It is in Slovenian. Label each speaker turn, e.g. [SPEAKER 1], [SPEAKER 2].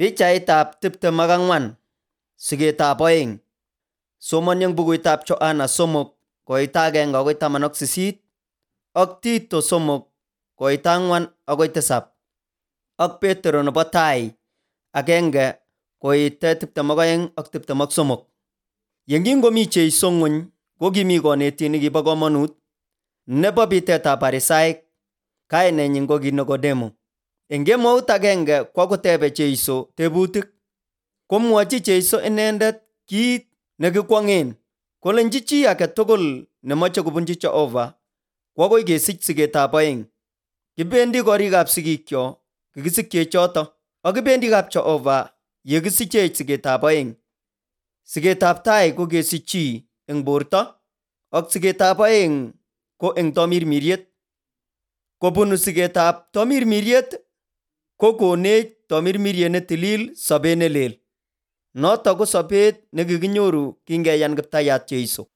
[SPEAKER 1] Pichaitab 24, Sigetab oeng. Somon eng bukuitab Johana 3, koita 1 agoi 18, ak Tito 3, koita 4 agoi 7, ak Petero nebo tai 1, koite 22 ak 23. Yengingomi Jeiso ng'ony, ko kimi konetindet nekibo komonut nebo bitetab Parisaik, kainenyin ko ki Nikodemo. Eng kemout agenge kwo kotebe Jeiso tebutik. Komwochi Jeiso inendet kiit nekikwong'en, kolenji chi age tugul nemoche kobunji Jehova ko agoi kesich sigetab oeng. Kibendi korikab sigikyok kikisikye choto, ak kibendi kap Jehova ye kisichech sigetab oeng. Sigetab tai ko kesich chi eng borto, ak sigetab oeng ko eng tomirmiriet. Kobunu sigetab tomirmiriet ko konech tomirmiriet ne tilil, sobet ne lel. Noto ko sobet nekikinyoru kingeyan Kiptayat Jeiso.